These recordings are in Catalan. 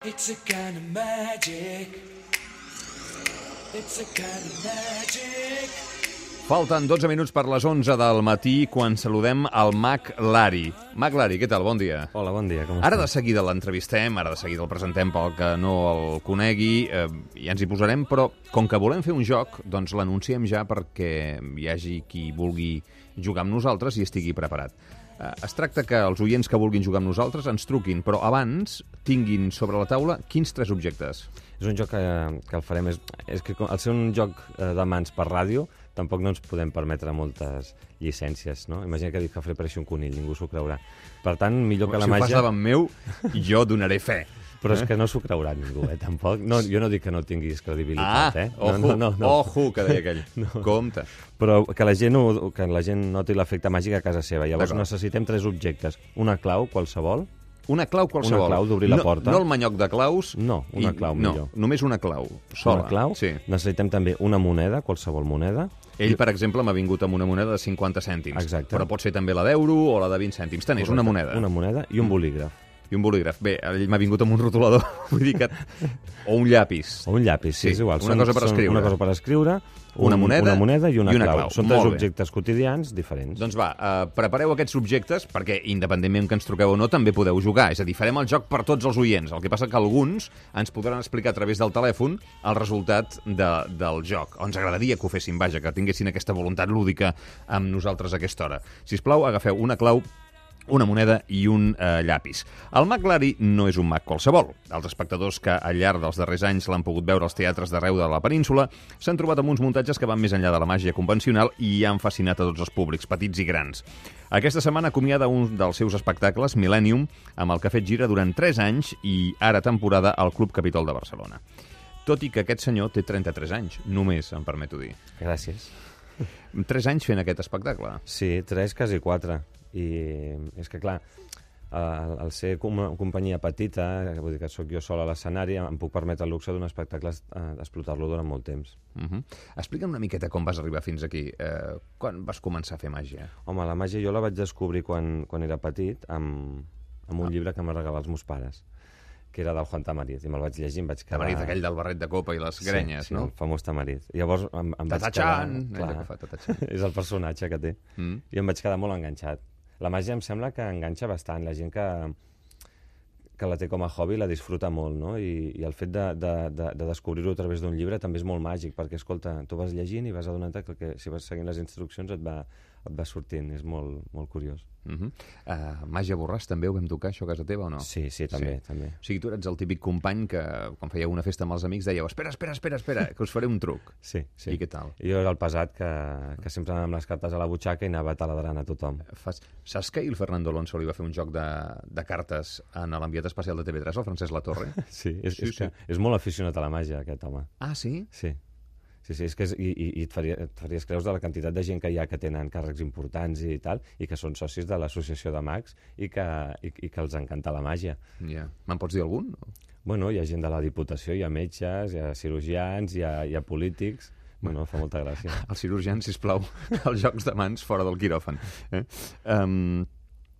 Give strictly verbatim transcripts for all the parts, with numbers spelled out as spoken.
It's a kind of magic. It's a kind of magic. Falten dotze minuts per les onze del matí quan saludem el Mag Lari. Mag Lari, què tal? Bon dia. Hola, bon dia, com Ara estàs? de seguida l'entrevistem, ara de seguida el presentem pel que no el conegui, eh, ja ens hi posarem, però com que volem fer un joc, doncs l'anunciem ja perquè hi hagi qui vulgui jugar amb nosaltres i estigui preparat. Eh, es tracta que els oients que vulguin jugar amb nosaltres ens truquin, però abans tinguin sobre la taula quins tres objectes? És un joc que, que el farem... És, és que al ser un joc eh, de mans per ràdio, tampoc no ens podem permetre moltes llicències, no? Imagina que dic que faré pareixer un conill, ningú s'ho creurà. Per tant, millor que la si màgia... Si ho fas davant meu, jo donaré fe. Però és que no s'ho creurà ningú, eh, tampoc. No, jo no dic que no tinguis credibilitat, Ah, eh? ojo, no, no, no. ojo, que deia aquell. No. Compte. Però que la gent, ho, que la gent noti l'efecte màgic a casa seva. Llavors necessitem tres objectes. Una clau, qualsevol. Una clau qualsevol. Una clau d'obrir la no, porta. No el manyoc de claus. No, una i, clau no, millor. Només una clau, sola. Una clau. Sí. Necessitem també una moneda, qualsevol moneda. Ell, per exemple, m'ha vingut amb una moneda de cinquanta cèntims. Exacte. Però pot ser també la d'euro o la de vint cèntims. Tant és una moneda. Una moneda i un bolígraf. I un bolígraf. Bé, ell m'ha vingut amb un rotulador, vull dir que... O un llapis. O un llapis, sí, sí, és igual. Una són, cosa per escriure. Una cosa per escriure, un, una, moneda, una moneda i una, i una clau. clau. Són tres objectes quotidians diferents. Doncs va, uh, prepareu aquests objectes, perquè independentment que ens truqueu o no, també podeu jugar. És a dir, farem el joc per tots els oients. El que passa que alguns ens podran explicar a través del telèfon el resultat de, del joc. O ens agradaria que ho fessin, vaja, que tinguessin aquesta voluntat lúdica amb nosaltres a aquesta hora. Sisplau, agafeu una clau, una moneda i un eh, llapis. El Mag Lari no és un mag qualsevol. Els espectadors que al llarg dels darrers anys l'han pogut veure als teatres d'arreu de la península s'han trobat amb uns muntatges que van més enllà de la màgia convencional i han fascinat a tots els públics, petits i grans. Aquesta setmana acomiada un dels seus espectacles, Millennium, amb el que ha fet gira durant tres anys i ara temporada al Club Capitol de Barcelona. Tot i que aquest senyor té trenta-tres anys, només, em permeto dir. Gràcies. Tres anys fent aquest espectacle. Sí, tres, quasi quatre. I és que, clar, al, al ser com una companyia petita, vull dir que sóc jo sol a l'escenari, em puc permetre el luxe d'un espectacle d'explotar-lo durant molt temps. Uh-huh. Explica'm una miqueta com vas arribar fins aquí. Eh, quan vas començar a fer màgia? Home, la màgia jo la vaig descobrir quan, quan era petit amb, amb un ah. llibre que em va regalar els meus pares, que era del Juan Tamariz, i me'l vaig llegir i em vaig quedar... Tamariz, aquell del barret de copa i les grenyes, sí, sí, no? el famós Tamariz. I llavors em, em vaig Tatachan! quedar... Clar, que fa Tatachan. És el personatge que té. Mm. I em vaig quedar molt enganxat. La màgia em sembla que enganxa bastant. La gent que, que la té com a hobby la disfruta molt, no? I, i el fet de, de, de, de descobrir-ho a través d'un llibre també és molt màgic, perquè, escolta, tu vas llegint i vas adonant-te que, que si vas seguint les instruccions et va, et va sortint. És molt, molt curiós. Uh -huh. uh, Màgia Borràs també ho vam tocar, això a casa teva, o no? Sí, sí, també, sí. també. O sigui, tu eres el típic company que, quan fèieu una festa amb els amics, dèieu, espera, espera, espera, espera, que us faré un truc. Sí, sí. I què tal? Jo era el pesat que, que sempre anava amb les cartes a la butxaca i anava taladrant a tothom. Fas... Saps que el Fernando Alonso li va fer un joc de, de cartes en l'enviat especial de T V tres, el Francesc Latorre? Sí, és, sí, és, sí. Que és molt aficionat a la màgia, aquest home. Ah, sí? Sí. Sí, sí, és que és, i, i et, faria, et faries creus de la quantitat de gent que hi ha que tenen càrrecs importants i tal, i que són socis de l'associació de mags i que, i, i que els encanta la màgia. Ja. Yeah. Me'n pots dir algun? Bueno, hi ha gent de la Diputació, hi ha metges, hi ha cirurgians, hi ha, hi ha polítics... Bueno, fa molta gràcia. Els cirurgians, sisplau, els jocs de mans fora del quiròfan. Eh? Um...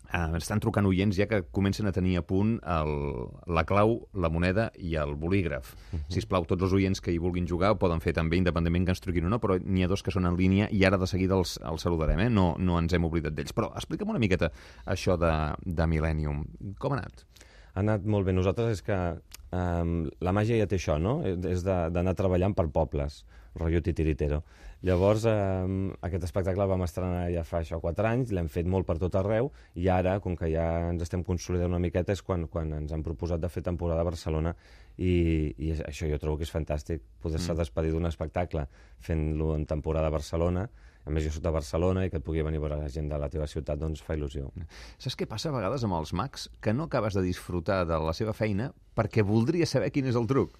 Uh, estan trucant oients ja que comencen a tenir a punt el, la clau, la moneda i el bolígraf. Uh -huh. Sisplau, tots els oients que hi vulguin jugar ho poden fer també, independentment que ens truquin o no, però n'hi ha dos que són en línia i ara de seguida els, els saludarem, eh? No, no ens hem oblidat d'ells. Però explica'm una miqueta això de, de Millennium. Com ha anat? Ha anat molt bé. Nosaltres és que um, la màgia ja té això, no? És d'anar treballant per pobles, rotllo titiritero. Llavors, eh, aquest espectacle el vam estrenar ja fa això quatre anys, l'hem fet molt per tot arreu, i ara, com que ja ens estem consolidant una miqueta, és quan, quan ens han proposat de fer temporada a Barcelona, i, i això jo trobo que és fantàstic, poder-se mm. despedir d'un espectacle fent-lo en temporada a Barcelona. A més, jo soc de Barcelona i que et pugui venir a veure la gent de la teva ciutat, doncs fa il·lusió. Saps què passa a vegades amb els mags? Que no acabes de disfrutar de la seva feina perquè voldries saber quin és el truc.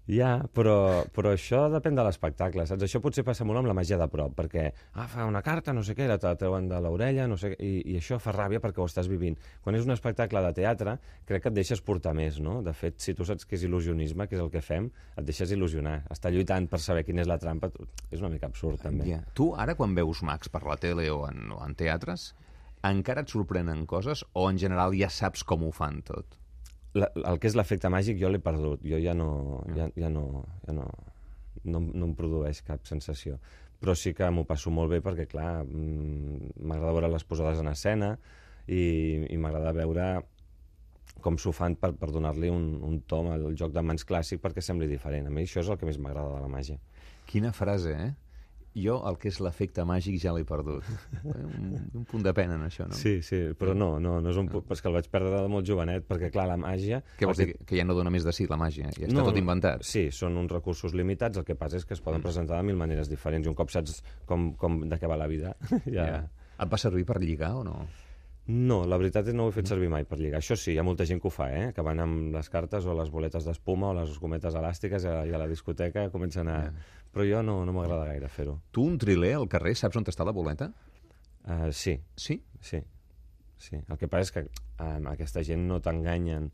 Ja, però, però això depèn de l'espectacle, saps? Això potser passa molt amb la màgia de prop, perquè ah, fa una carta, no sé què, la treuen de l'orella, no sé què, i, i això fa ràbia perquè ho estàs vivint. Quan és un espectacle de teatre, crec que et deixes portar més, no? De fet, si tu saps què és il·lusionisme, que és el que fem, et deixes il·lusionar. Estar lluitant per saber quina és la trampa és una mica absurd, també. Ja. Tu, ara, quan veus mags per la tele o en, o en teatres, encara et sorprenen coses o, en general, ja saps com ho fan tot? la, el que és l'efecte màgic jo l'he perdut. Jo ja no, ja, ja no, ja no, no, no em produeix cap sensació. Però sí que m'ho passo molt bé perquè, clar, m'agrada veure les posades en escena i, i m'agrada veure com s'ho fan per, per donar-li un, un tom al joc de mans clàssic perquè sembli diferent. A mi això és el que més m'agrada de la màgia. Quina frase, eh? Jo el que és l'efecte màgic ja l'he perdut. Un, un punt de pena en això, no? Sí, sí, però no, no, no és un punt... És que el vaig perdre de molt jovenet, perquè, clar, la màgia... Què vols dir? Que ja no dona més de sí, la màgia? Ja està no, tot inventat? Sí, són uns recursos limitats, el que passa és que es poden presentar de mil maneres diferents, i un cop saps com, com de què va la vida, ja... Ja. Et va servir per lligar o no? No, la veritat és que no ho he fet servir mai per lligar. Això sí, hi ha molta gent que ho fa, eh? Que van amb les cartes o les boletes d'espuma o les gometes elàstiques i a, i a la discoteca comencen a... Yeah. Però jo no, no m'agrada gaire fer-ho. Tu, un triler al carrer, saps on està la boleta? Uh, sí. Sí? Sí. Sí. El que passa és que um, aquesta gent no t'enganyen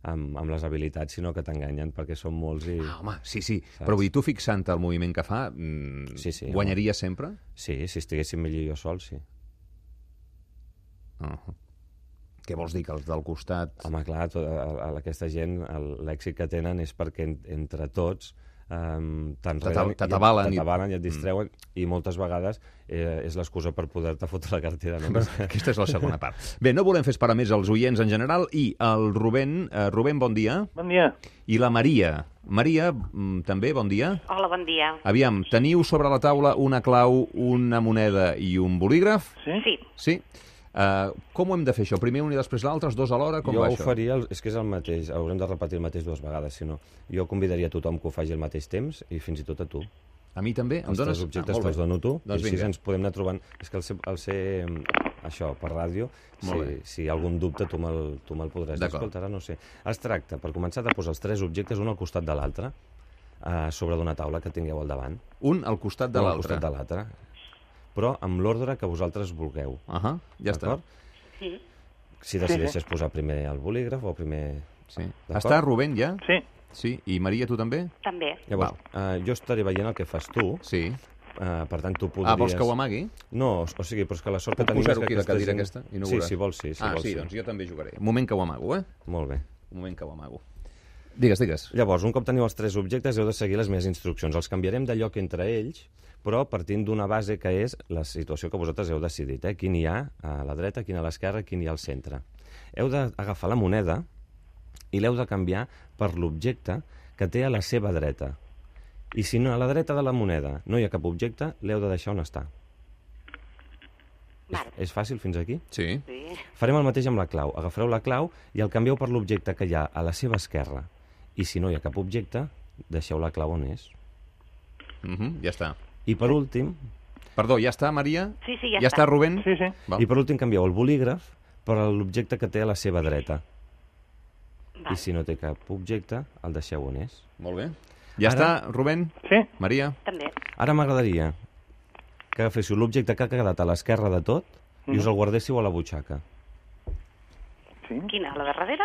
amb, amb les habilitats, sinó que t'enganyen perquè són molts i... Ah, home, sí, sí. Saps? Però vull dir, tu fixant el moviment que fa, mmm, sí, sí, guanyaria home. sempre? Sí, si estiguéssim millor jo sol, sí. Uh -huh. Què vols dir, que els del costat... Home, clar, tot, a, a aquesta gent l'èxit que tenen és perquè en, entre tots um, t'atabalen i, i et distreuen mm. i moltes vegades eh, és l'excusa per poder-te fotre la cartera. No? Aquesta és la segona part. Bé, no volem fer esperar més els oients en general i el Rubén, eh, Rubén, bon dia. Bon dia. I la Maria. Maria, també, bon dia. Hola, bon dia. Aviam, teniu sobre la taula una clau, una moneda i un bolígraf? Sí. Sí. Sí? Uh, com ho hem de fer això? Primer un i després l'altre, els dos alhora? Com jo va ho això? faria, és que és el mateix, haurem de repetir el mateix dues vegades, si no. Jo convidaria a tothom que ho faci al mateix temps i fins i tot a tu. A mi també? Em Els dones... tres objectes ah, que els dono tu, doncs i així vinga. ens podem anar trobant... És que el ser, el ser això, per ràdio, si, si hi ha algun dubte tu me'l tu me'l podràs dir. Escolta, ara no sé. Es tracta, per començar, de posar els tres objectes un al costat de l'altre, uh, sobre d'una taula que tingueu al davant. Un al costat de un al l'altre. costat de l'altre. Però amb l'ordre que vosaltres vulgueu. Uh -huh, ja està. Sí. Si decideixes posar primer el bolígraf o primer... Sí. Està Rubén ja? Sí. Sí. I Maria, tu també? També. Llavors, uh, jo estaré veient el que fas tu. Sí. Uh, per tant, tu podries... Ah, vols que ho amagui? No, o, o sigui, però és que la sort Puc que tenim és posar-ho que aquí, la aquesta cadira gent... aquesta? I no sí, veuràs. si vols, sí. Si ah, vols, sí, sí, doncs jo també jugaré. Un moment que ho amago, eh? Molt bé. Un moment que ho amago. Digues, digues. Llavors, un cop teniu els tres objectes, heu de seguir les meves instruccions. Els canviarem de lloc entre ells, però partint d'una base que és la situació que vosaltres heu decidit, eh? Quin hi ha a la dreta, quin a l'esquerra, quin hi ha al centre. Heu d'agafar la moneda i l'heu de canviar per l'objecte que té a la seva dreta. I si no, a la dreta de la moneda no hi ha cap objecte, l'heu de deixar on està. És, és fàcil fins aquí? Sí. Sí. Farem el mateix amb la clau. Agafareu la clau i el canvieu per l'objecte que hi ha a la seva esquerra. I si no hi ha cap objecte, deixeu la clau on és. Uh -huh, ja està. I per últim... Perdó, ja està, Maria? Sí, sí, ja, ja està. està, Rubén? Sí, sí. Val. I per últim canvieu el bolígraf per l'objecte que té a la seva dreta. Val. I si no té cap objecte, el deixeu on és. Molt bé. Ja Ara... està, Rubén? Sí. Maria? També. Ara m'agradaria que agaféssiu l'objecte que ha quedat a l'esquerra de tot i us el guardéssiu a la butxaca. Sí. Quina, la de darrere?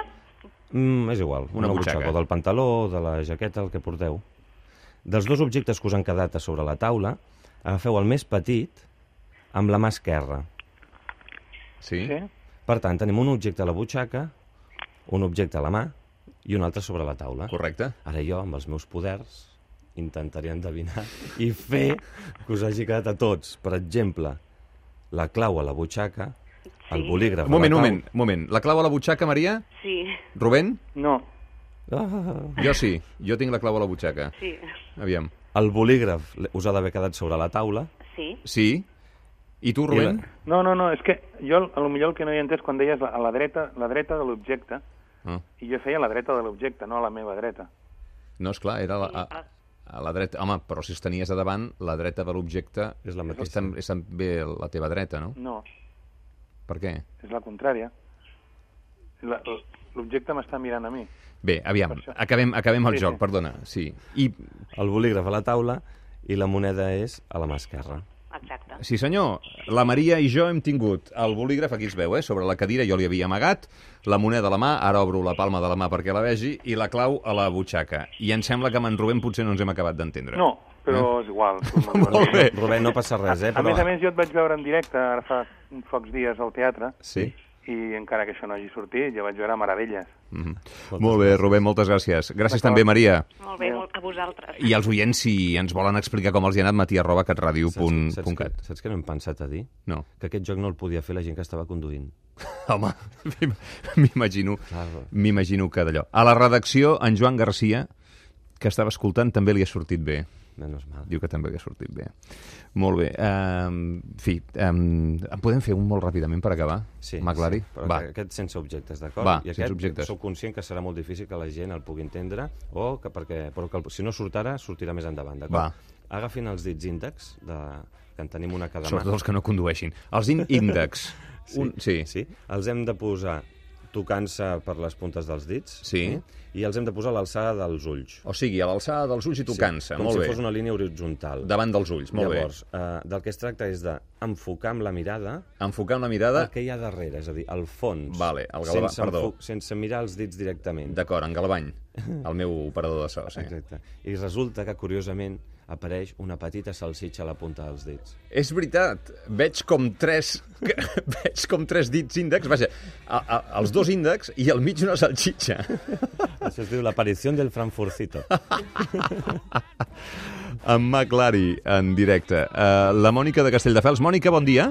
Mm, és igual, Una una, butxaca. butxaca, o del pantaló, o de la jaqueta, el que porteu. Dels dos objectes que us han quedat a sobre la taula, agafeu el més petit amb la mà esquerra. Sí? Sí. Per tant, tenim un objecte a la butxaca, un objecte a la mà i un altre sobre la taula. Correcte. Ara jo, amb els meus poders, intentaré endevinar i fer que us hagi quedat a tots. Per exemple, la clau a la butxaca, el bolígraf Un moment, a un la moment, un moment. La clau a la butxaca, Maria? Sí. Rubén? No. Ah, Jo sí. Jo tinc la clau a la butxaca. Sí. Aviam. el bolígraf us ha d'haver quedat sobre la taula. Sí. Sí? I tu, Rubén? No, no, no, és que jo a lo millor el que no hi he entès quan deies a la dreta, la dreta de l'objecte, Ah. i jo feia a la dreta de l'objecte, no a la meva dreta. No, esclar, era la, a, a la dreta. Home, però si els tenies a davant, la dreta de l'objecte És la mateixa. és, tam, és també la teva dreta, no? No, Per què? és la contrària. La- L'objecte m'està mirant a mi. Bé, aviam, Per això. acabem, acabem el Sí, joc, sí. perdona. Sí. I, El bolígraf a la taula i la moneda és a la mà esquerra. Exacte. sí senyor, la Maria i jo hem tingut el bolígraf, aquí es veu, eh, sobre la cadira, jo li havia amagat, la moneda a la mà, ara obro la palma de la mà perquè la vegi, i la clau a la butxaca. I em sembla que amb en Rubén potser no ens hem acabat d'entendre. No, però és igual. tu no- Molt bé. Rubén, no passa res, eh? A Però... més a més, jo et vaig veure en directe ara fa uns pocs dies al teatre Sí? i encara que això no hagi sortit, jo vaig veure meravelles. Mm -hmm. Molt bé, Rubén, moltes gràcies. Gràcies també, Maria. Molt bé, molt a vosaltres. I els oients, si ens volen explicar com els hi ha anat, matí arroba catradio punt cat. Saps, saps, que, saps que no hem pensat a dir? No. Que aquest joc no el podia fer la gent que estava conduint. Home, m'imagino Claro. m'imagino que d'allò. A la redacció, en Joan Garcia, que estava escoltant, també li ha sortit bé. Menos mal. Diu que també li ha sortit bé. Molt bé. Um, en fi, um, en podem fer un molt ràpidament per acabar? Sí, McLary? sí, però Va. aquest sense objectes, d'acord? Va, I sense aquest objectes. sóc conscient que serà molt difícil que la gent el pugui entendre, o que perquè, però que el, si no surt ara, sortirà més endavant, d'acord? Va. Agafin els dits índex, de, que en tenim una a cada mà. Sobretot els que no condueixin. Els in- índex. Sí, Un, sí. sí. Els hem de posar tocant-se per les puntes dels dits. Sí. eh? I els hem de posar a l'alçada dels ulls. O sigui, a l'alçada dels ulls i tocant-se. Com Molt si bé. fos una línia horitzontal. Davant dels ulls. Molt Llavors, eh, del que es tracta és d'enfocar amb la mirada bé. Enfocar amb la mirada... el que hi ha darrere, és a dir, el fons. Vale, el galvà- sense, perdó. enfo- sense mirar els dits directament. D'acord, en Galvany, el meu operador de so. Sí. Exacte. I resulta que, curiosament, apareix una petita salsitxa a la punta dels dits. És veritat, veig com tres veig com tres dits índex, vaja, a, a, els dos índex i al mig una salxitxa. Això es diu l'aparició del Frankfurtito. En McLary, en directe. Uh, la Mònica de Castelldefels. Mònica, bon dia.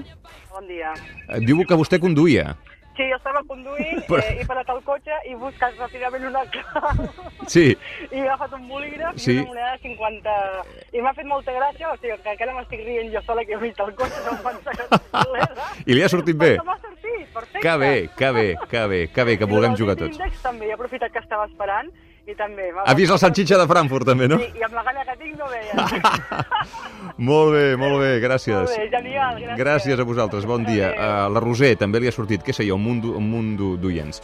Bon dia. Uh, diu que vostè conduïa. Sí, jo estava conduint, Però- eh, he parat el cotxe i he buscat ràpidament una clau Sí, i he agafat un bolígraf Sí. i una moneda de cinquanta... I m'ha fet molta gràcia, o sigui, que encara m'estic rient jo sola que he vist el cotxe, no em pensa que és dolera. I li ha sortit bé? Però m'ha sortit, perfecte. que bé, que bé, que bé, que bé, que vulguem jugar tots. I l'índex també, he aprofitat que estava esperant i també... m'ha Ha vist la salxitxa de Frankfurt, també, no? Sí, i amb la gana que tinc no veia. Molt bé, molt bé, gràcies. Molt bé, genial, gràcies. Gràcies a vosaltres, bon dia. Adéu. Uh, la Roser també li ha sortit, què sé jo, un munt, d'o- un munt d'o- d'oients.